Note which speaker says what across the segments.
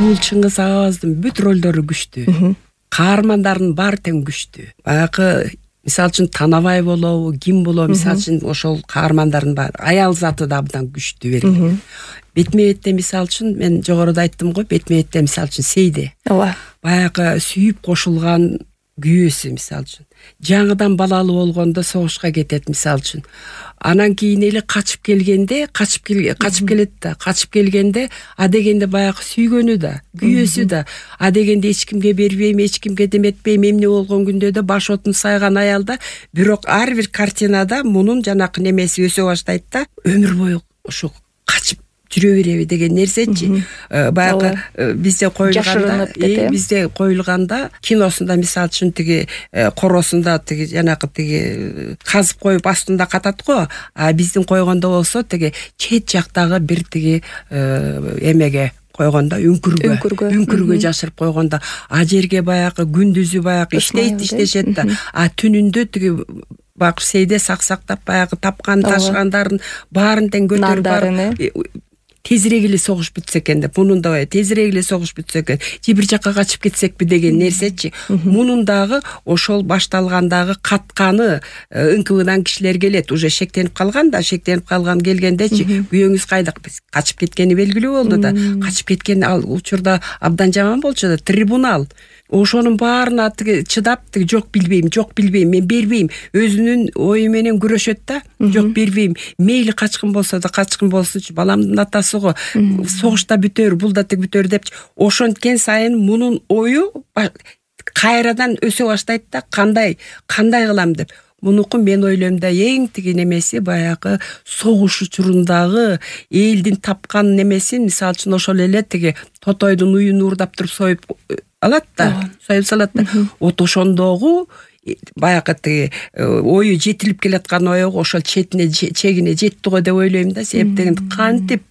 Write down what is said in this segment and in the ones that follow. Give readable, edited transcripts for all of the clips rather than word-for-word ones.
Speaker 1: бул Чыңгыз Агабыздын бүт ролдору күчтүү. Каармандардын баары тең күчтүү. Баягы мисалы үчүн Танабай болобу, ким болобу, мисалы үчүн ошол каармандардын баары аял заты да абдан күчтүү берилген. Бетме-бетте мисалы үчүн мен жогоруда айттым го, бетме-бетте мисалы үчүн Сейде.
Speaker 2: Ооба.
Speaker 1: Баягы сүйүп кошулган күйөөсү мисалы үчүн. Жаңыдан балалуу болгондо согушка кетет мисалы үчүн. Анан кийин эле качып келгенде, качып келет да, качып келгенде дегенде баягы сүйгөнү да, күйөөсү да, дегенде эч кимге бербейм, эч кимге деметпейм, эмне болгон күндө да баш отун сайган аялда, бирок ар бир картинада мунун жанакы немеси өсө баштайт да, өмүр бою ошо качып жүрө береби деген нерсечи. Баягы бизде коюлганда, киносунда мисалы үчүн тиги коросунда тиги жанакы тиги казып коюп астында катат го, биздин койгондо болсо тиги чет жактагы бир тиги эмеге койгондо үңкүргө жашырып койгондо, жерге баягы күндүзү баягы иштешет да, түнүндө тиги бак Сейде саксактап баягы тапкан ташыгандарын баарын тең көтөрүп барып тезирээк эле согуш бүтсө экен деп, мунун да тезирээк эле согуш бүтсө экен, же бир жакка качып кетсекпи деген нерсечи. Мунун дагы ошол башталгандагы катканы ыңкыбынан кишилер келет, уже шектенип калган келгендечи, күйөөңүз кайда, качып кеткени белгилүү болду да, качып кеткен ал учурда абдан жаман болчу да, трибунал. Ошонун баарына чыдап, жок билбейм, мен бербейм, өзүнүн ою менен күрөшөт да, жок бербейм, мейли качкын болсо да качкын болсунчу, баламдын атасы го, согушта бүтөр, бул да бүтөр депчи. Ошенткен сайын мунун ою кайрадан өсө баштайт да, кандай кылам деп. Мунуку мен ойлойм да эң тиги немеси баягы согуш учурундагы элдин тапкан немесин, мисалы үчүн ошол эле тиги тотойдун уюн уурдап туруп союп алат да, союп салат да. Вот ошондогу баягы тиги ою жетилип келаткан ою ошол чегине жетти го деп ойлойм да, себеп дегенде кантип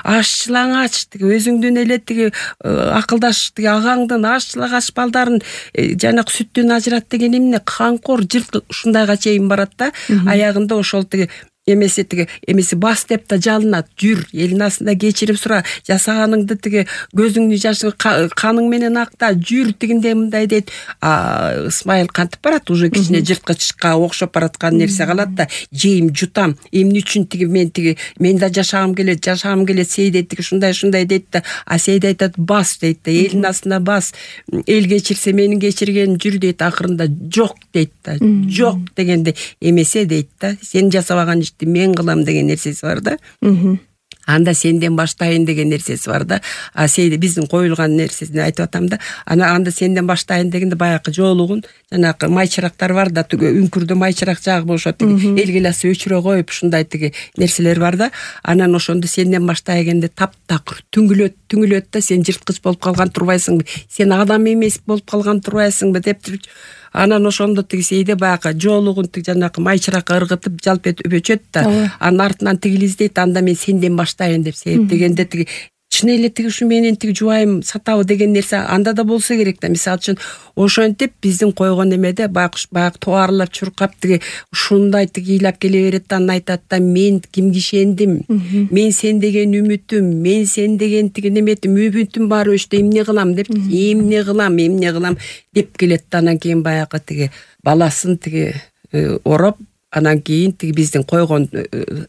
Speaker 1: аш-жылаңач тиги өзүңдүн эле тиги акылдаш тиги агаңдын аш-жылаңач балдарын жанакы сүттөн ажырат деген эмне, канкор жырткы ушундайга чейин барат да. Аягында ошол тиги эмеси бас деп да жалынат, жүр, элин астында кечирим сура, жасаганыңды тиги көзүңдүн жашын каның менен акта, жүр тигиндей мындай дейт. Исмайыл кантип барат, уже кичине жырткычка окшоп бараткан нерсе калат да, жейм, жутам, эмне үчүн мен да жашагым келет, Сейде тиги ушундай дейт да, Сейде айтат, бас дейт да, элин астына бас, эл кечирсе менин кечиргеним жүр дейт, акырында жок дейт да, жок дегенде эмесе дейт да, сен жасабаган мен кылам деген нерсеси бар да. Анда сенден баштайын деген нерсеси бар да. Сейде биздин коюлган нерсесин айтып атам да. Анда сенден баштайын дегенде баягы жоолугун жанакы майчырактар бар да, үңкүрдө майчырак жагып ошо эл гиласы өчүрө коюп ушундай тиги нерселер бар да. Анан ошондо сенден баштай дегенде таптакыр түңүлөт да, сен жырткыч болуп калган турбайсыңбы, сен адам эмес болуп калган турбайсыңбы деп туруп. Анан ошондо тиги Сейде баягы жоолугун жанакы майчыракка ыргытып жалп этип өчөт да. Анын артынан тигил издейт, анда мен сенден баштайын деп, себеп дегенде тиги чын эле тиги ушу менен тиги жубайым сатабы деген нерсе анда да болсо керек да. Мисалы үчүн ошентип биздин койгон эмеде баягы тубаарлап чуркап тиги ушундай тиги ыйлап келе берет да, анан айтат да, мен кимге ишендим, мен сен деген үмүтүм, мен сен деген тиги неметим, үмүтүм баары өчтү, эмне кылам деп, эмне кылам деп келет да. Анан кийин баягы тиги баласын тиги ороп, анан кийин тиги биздин койгон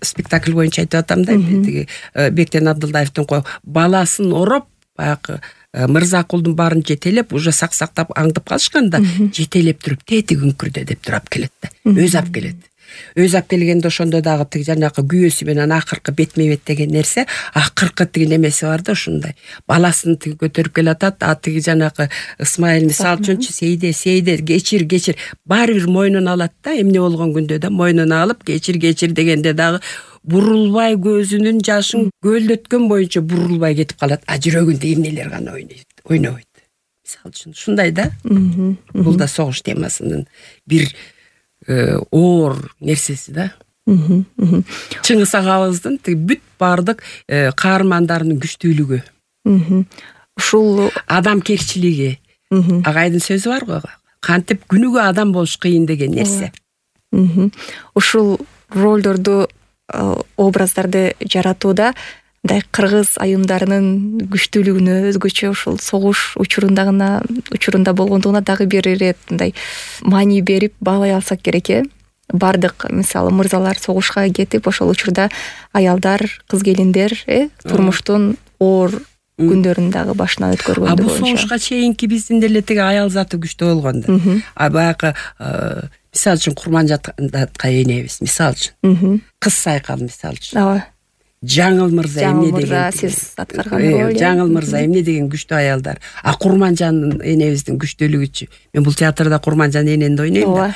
Speaker 1: спектакль боюнча айтып атам да, тиги Бектен Абдылдаевдин баласын ороп, баягы Мырзакулдун баарын жетелеп, уже саксактап аңдып калышканда, жетелеп туруп тетиги үңкүрдө деп туруп келет да. Өзү алып келет. Өзү алып келгенде ошондо дагы тиги жанакы күйөөсү менен акыркы бетме-бет деген нерсе, акыркы тиги немеси бар да, ушундай. Баласын тиги көтөрүп келатат, тиги жанакы Исмайыл мисалы үчүнчү Сейде кечир, баары бир мойнуна алат да, эмне болгон күндө да мойнуна алып кечир дегенде дагы бурулбай көзүнүн жашын көлдөткөн боюнча бурулбай кетип калат. Жүрөгүндө эмнелер гана ойнобойт. Мисалы үчүн ушундай да. Бул да согуш темасынын бир оор нерсеси да. Чыңгыз агабыздын бүт баардык каармандарынын күчтүүлүгү.
Speaker 2: Ушул
Speaker 1: адамкерчилиги. Агайдын сөзү бар го. Кантип күнүгө адам болуш кыйын деген нерсе.
Speaker 2: Ушул ролдорду, образдарды жаратууда мындай кыргыз айымдарынын күчтүүлүгүнө өзгөчө ушул согуш учурунда болгондугуна дагы бир ирет мындай маани берип баалай алсак керек. Бардык мисалы мырзалар согушка кетип, ошол учурда аялдар, кыз келиндер турмуштун оор күндөрүн дагы башынан өткөргөндү
Speaker 1: боюнча. Бул согушка чейинки биздин деле тиги аял заты күчтүү болгонду. Баягы мисалы үчүн Курманжандатка энебиз, мисалы үчүн. Кыз Сайкал мисалы үчүн.
Speaker 2: Ооба.
Speaker 1: Жаңыл мырза эмне деген?
Speaker 2: Сиз аткарган роль.
Speaker 1: Жаңыл мырза эмне деген күчтүү аялдар. Курманжан энебиздин күчтүүлүгүчү. Мен бул театрда Курманжан эненди ойнойм да.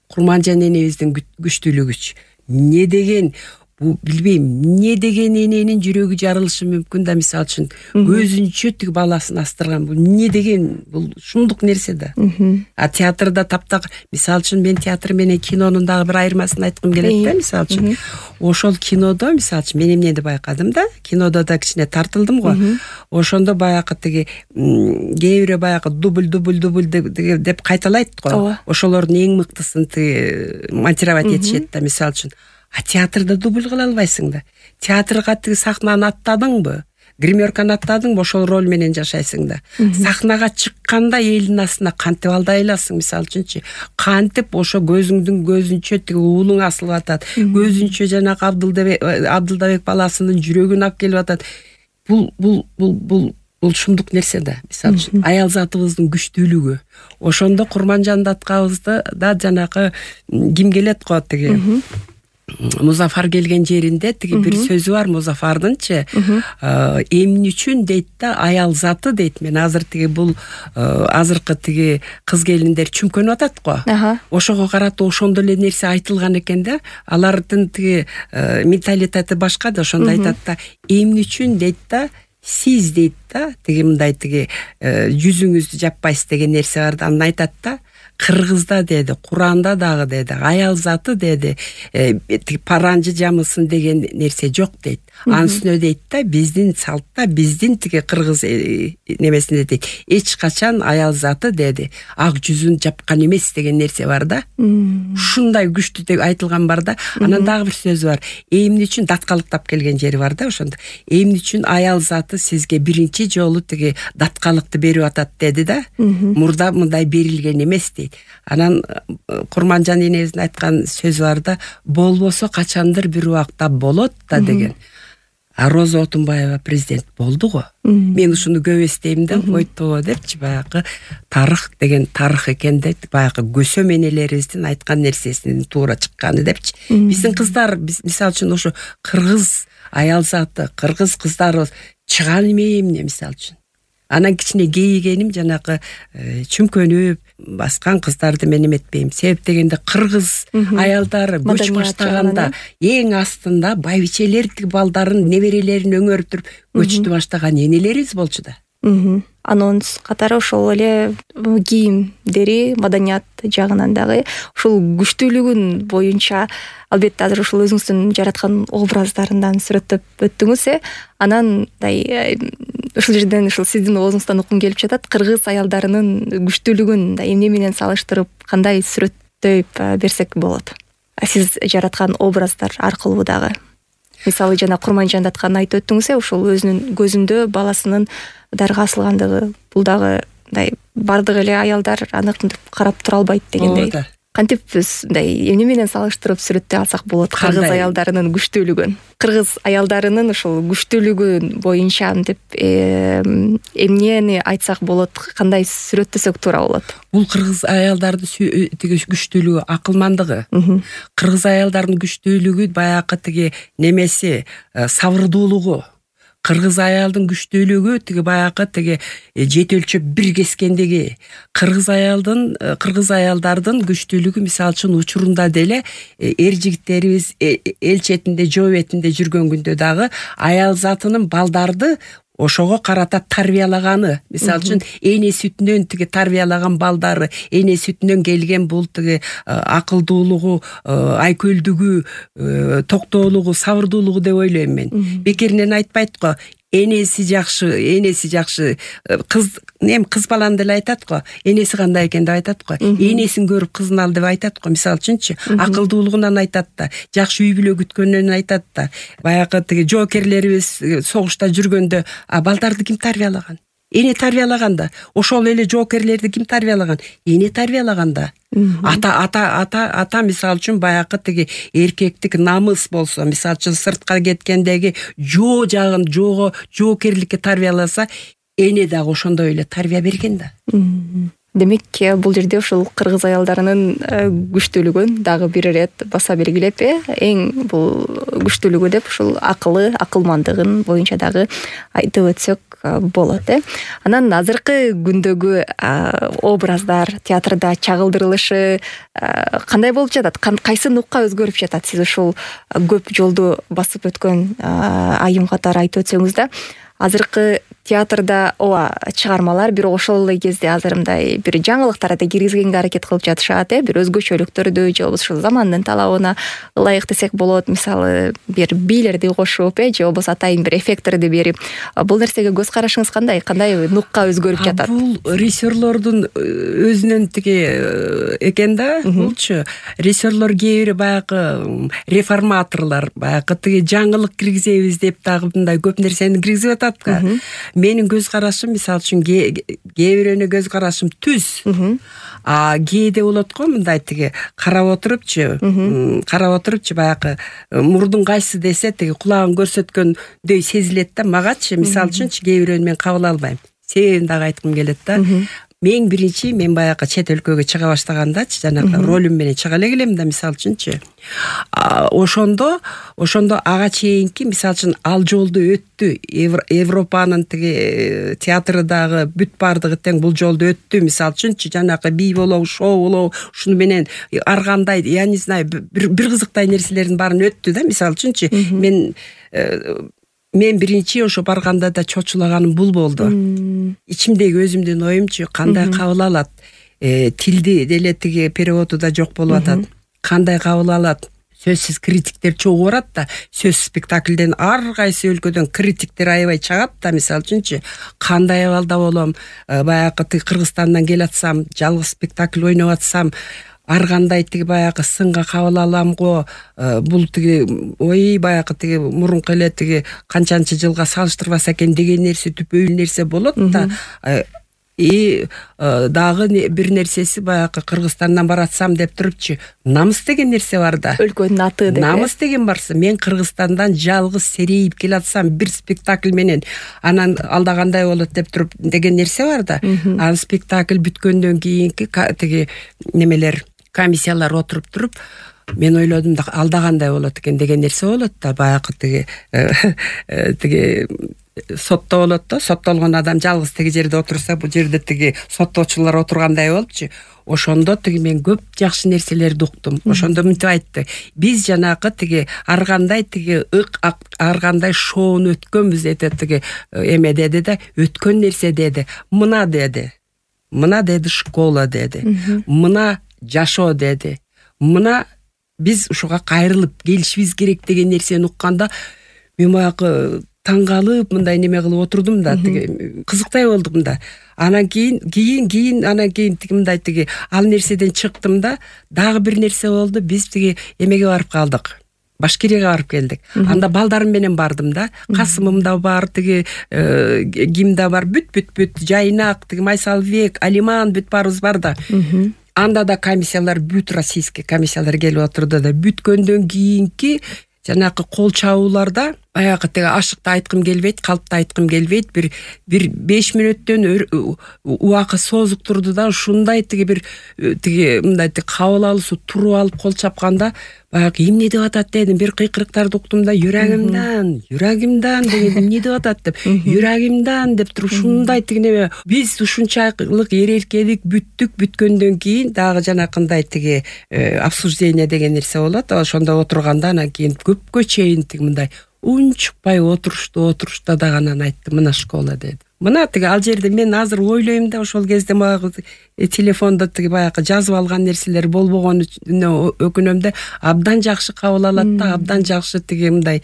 Speaker 1: Курманжан энебиздин күчтүүлүгүчү. Не деген, бу билбейм, не деген эненин жүрөгү жарылышы мүмкүн да, мисалы үчүн көзүнчө тиги баласын астырган. Бул не деген, бул шундук нерсе да. Театрда таптак, мисалы үчүн мен театр менен кинонун дагы бир айырмасын айткым келет да, мисалы үчүн. Ошол кинодо, мисалы үчүн, мен эмнени байкадым да, кинодо да кичине тартылдым го. Ошондо баягы тиги кээ бирөө баягы дубль деп кайталайт го. Ошолордун эң мыктысын тиги монтировать этишет да, мисалы үчүн. Театрда дубль кыла албайсың да. Театрга тиги сахнаны аттадыңбы, гримерканы аттадыңбы, ошол роль менен жашайсың да. Сахнага чыкканда элдин астына кантип алдай аласың, мисалы үчүнчү. Кантип ошо көзүнчө тиги уулуң асылып атат. Көзүнчө жанагы Абдылдабек баласынын жүрөгүн алып келип атат. Бул шундук нерсе да, мисалы үчүн. Аял затыбыздын күчтүүлүгү. Ошондо Курманжандаткабызды да жанагы ким келет го тиги Музафар келген жеринде тиги бир сөзү бар Музафардынчы. Эмне үчүн дейт да, аял заты дейт. Мен азыр тиги бул азыркы тиги кыз келиндер чүмкөнүп атат го. Ошого карата ошондой эле нерсе айтылган экен да. Алардын тиги менталитети башка да, ошондо айтат да, эмне үчүн дейт да, сиз дейт да, тиги мындай тиги жүзүңүздү жаппайсыз деген нерсе бар да. Анан айтат да, Кыргызда деди, Куранда дагы деди, аял заты деди, паранжы жамысын деген нерсе жок дейт. Анын үстүнө дейт да, биздин салтта, биздин тиги кыргыз немесинде дейт, эч качан аял заты деди, ак жүзүн жапкан эмес деген нерсе бар да. Ушундай күчтүү деп айтылган бар да. Анан дагы бир сөзү бар. Эмне үчүн даткалыктап келген жери бар да ошондо. Эмне үчүн аял заты сизге биринчи жолу тиги даткалыкты берип атат деди да. Мурда мындай берилген эмес дейт. Анан Курманжан энебиздин айткан сөзү бар да, болбосо качандыр бир убакта болот да деген. Роза Отунбаева президент болду го. Мен ушуну көп эстейм да, ойто депчи, баягы тарых деген тарых экен деп, баягы көсөм энелерибиздин айткан нерсесинин туура чыкканы депчи. Биздин кыздар, мисалы үчүн ошо кыргыз аял заты, кыргыз кыздары чыган эмне мисалы үчүн. Анан кичине кейигеним жанагы чүмкөнүп баскан кыздарды мен эметпейм. Себеп дегенде кыргыз аялдары көч баштаганда эң астында байбичелер тиги балдарын, неберелерин өңөртүп көчтү баштаган энелерибиз болчу да.
Speaker 2: Анонс катары ошол эле кийимдери, маданият жагынан дагы ушул күчтүүлүгүн боюнча албетте азыр ушул өзүңүздүн жараткан образдарынан сүрөттөп өттүңүз. Анан ушул жерден ушул сиздин оозуңуздан уккум келип жатат. Кыргыз аялдарынын күчтүүлүгүн эмне менен салыштырып, кандай сүрөттөп берсек болот? Сиз жараткан образдар аркылуу дагы. Мисалы жана Курманжандатканы айтып өттүңүз, ушул өзүнүн көзүндө баласынын дарга асылгандыгы, бул дагы мындай бардык эле аялдар аны карап тура албайт дегендей. Кантип биз мындай эмне менен салыштырып сүрөттөй алсак болот кыргыз аялдарынын күчтүүлүгүн? Кыргыз аялдарынын ушул күчтүүлүгү боюнча деп эмнени айтсак болот, кандай сүрөттөсөк туура болот?
Speaker 1: Бул кыргыз аялдардын тиги күчтүүлүгү, акылмандыгы. Кыргыз аялдардын күчтүүлүгү баягы тиги немеси, сабырдуулугу. Кыргыз аялдын күчтүүлүгү тиги баягы тиги жет өлчөп бир кескендиги. Кыргыз аялдардын күчтүүлүгү мисалы үчүн учурунда деле эр жигиттерибиз эл четинде, жоо бетинде жүргөн күндө дагы аял затынын балдарды ошого карата тарбиялаганы. Мисалы үчүн эне сүтүнөн тиги тарбиялаган балдары, эне сүтүнөн келген бул тиги акылдуулугу, айкөлдүгү, токтоолугу, сабырдуулугу деп ойлойм мен. Бекеринен айтпайт го, энеси жакшы кыз баланы деле айтат го, энеси кандай экен деп айтат го, энесин көрүп кызын ал деп айтат го. Мисалы үчүнчү акылдуулугунан айтат да, жакшы үй бүлө күткөнүнөн айтат да. Баягы тиги жоокерлерибиз согушта жүргөндө балдарды ким тарбиялаган? Эне тарбиялаган да. Ошол эле жоокерлерди ким тарбиялаган? Эне тарбиялаган да. Ата мисалы үчүн баягы тиги эркектик намыс болсо, мисалы үчүн сыртка кеткендеги жоокерликке тарбияласа, эне дагы ошондой эле тарбия берген да.
Speaker 2: Демек, бул жерде ушул кыргыз аялдарынын күчтүүлүгүн дагы бир ирет баса белгилеп, эң бул күчтүүлүгү деп ушул акылмандыгын боюнча дагы айтып өтсөк болот. Анан азыркы күндөгү образдар театрда чагылдырылышы кандай болуп жатат? Кайсы нукка өзгөрүп жатат? Сиз ушул көп жолду басып өткөн айым катары айтып өтсөңүз да, азыркы театрда чыгармалар бир ошол эле кезде азыр мындай бир жаңылыктарды киргизгенге аракет кылып жатышат, бир өзгөчөлүктөрдү же болбосо ушул замандын талабына ылайык десек болот. Мисалы, бир бийлерди кошуп, же болбосо атайын бир эффекттерди берип. Бул нерсеге көз карашыңыз кандай? Кандай нукка өзгөрүп жатат?
Speaker 1: Бул режиссерлордун өзүнүн тиги экен да. Булчу режиссерлор кээ бири баягы реформаторлор, баягы тиги жаңылык киргизебиз деп дагы мындай көп нерсени киргизип атат да. Менин көз карашым, мисалы үчүн, кээ бирөөнүн көз карашым түз. Кээде болот го мындай тиги карап отурупчу баягы мурдун кайсы десе тиги кулагын көрсөткөндөй сезилет да. Магачы мисалы үчүнчү кээ бирөөнү мен кабыл албайм. Себебин дагы айткым келет да. Мен баягы чет өлкөгө чыга баштагандачы, жанагы ролум менен чыга эле келем да, мисалы үчүнчү. Ошондо ага чейинки, мисалы үчүн, ал жолду өттү. Европанын тиги театры дагы бүт бардыгы тең бул жолду өттү. Мисалы үчүнчү, жанагы бий болобу, шоу болобу, ушуну менен ар кандай, я не знаю, бир кызыктай нерселердин баарын өттү да, мисалы үчүнчү. Мен биринчи ошо барганда да чочулаганым бул болду. Ичимдеги өзүмдүн оюмчу, кандай кабыл алат? Тилди деле тиги переводу да жок болуп атат. Кандай кабыл алат? Сөзсүз криттиктер чогуу барат да. Сөз спектакльден ар кайсы өлкөдөн криттиктер аябай чыгат да, мисалы үчүнчү. Кандай абалда болом? Баягы тиги Кыргызстандан келатсам, жалгыз спектакль ойноп атсам, ар кандай тиги баягы сынга кабыл алам го. Бул тиги баягы тиги мурунку эле тиги канчанчы жылга салыштырбаса экен деген нерсе түпөй нерсе болот да. Дагы бир нерсеси, баягы Кыргызстандан баратсам деп турупчу, намыс деген нерсе бар да.
Speaker 2: Өлкөнүн аты деп.
Speaker 1: Намыс деген барса, мен Кыргызстандан жалгыз серейип келатсам бир спектакль менен, анан алда кандай болот деп туруп деген нерсе бар да. Ал спектакль бүткөндөн кийинки тиги немелер, комиссиялар отуруп туруп, мен ойлодум да алда кандай болот экен деген нерсе болот да. Баягы тиги сотто болот да. Соттолгон адам жалгыз тиги жерде отурса, бул жерде тиги соттоочулар отургандай болупчу. Ошондо тиги мен көп жакшы нерселерди уктум. Ошондо мынтип айтты. Биз жанагы тиги ар кандай тиги ар кандай шоуну өткөнбүз деди, тиги эме деди да, өткөн нерсе деди. Мына деди школа деди. Мына жашоо деди. Мына биз ушуга кайрылып келишибиз керек деген нерсени укканда, мен баягы таң калып мындай неме кылып отурдум да, тиги кызыктай болдум да. Анан кийин тиги мындай тиги ал нерседен чыктым да, дагы бир нерсе болду. Биз тиги эмеге барып калдык. Башкирияга барып келдик. Анда балдарым менен бардым да. Касымым да бар, тиги ким да бар, бүт Жайнак, тиги Майсалбек, Алиман, бүт баарыбыз бар да. Анда да комиссиялар, бүт российский комиссиялар келип отурду да. Бүткөндөн кийинки жанагы кол чабууларда баягы тиги ашыкты айткым келбейт, калпты айткым келбейт. Бир 5 мүнөттөн убакыт созуп турду да, ушундай тиги бир тиги мындай кабыл алуусу туруп алып кол чапканда, баягы эмне деп атат дедим. Бир кыйкырыктарды уктум да, юрагымдан деген эмне деп атат деп, юрагымдан деп туруп ушундай тиги неме. Биз ушунчалык эркелик бүткөндөн кийин дагы жанакындай тиги обсуждение деген нерсе болот. Ошондо отурганда анан кийин көпкө чейин тиги мындай унчукпай отурушта дагы анан айтты, мына школа деди. Мына тиги ал жерде мен азыр ойлойм да, ошол кезде баягы телефондо тиги баягы жазып алган нерселер болбогонуна өкүнөм да, абдан жакшы кабыл алат да, абдан жакшы тиги мындай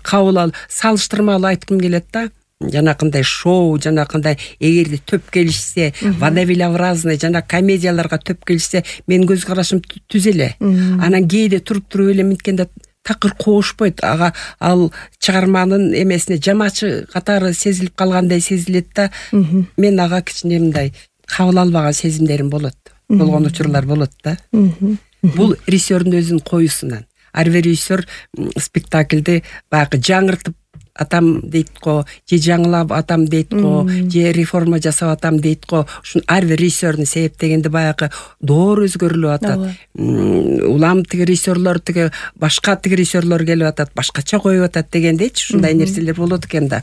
Speaker 1: кабыл салыштырмалуу айткым келет да. Жанакындай шоу, жанакындай эгерде төп келишсе, водовилообразный жана комедияларга төп келишсе, менин көз карашым түз эле. Анан кээде туруп эле минткенде такыр коошпойт. Ага ал чыгарманын эмесине жамачы катары сезилип калгандай сезилет да. Мен ага кичине мындай кабыл албаган сезимдерим болот. Болгон учурлар болот да. Бул режиссердун өзүнүн коюсунан. Ар бир режиссер спектакльди баягы жаңыртып атам дейт го, же жаңылап атам дейт го, же реформа жасап атам дейт го. Ушун ар бир режиссердун себептегенде баягы доор өзгөрүлүп атат. Улам тиги режиссерлор тиги башка тиги режиссерлор келип атат, башкача коюп атат дегендейчи, ушундай нерселер болот экен да.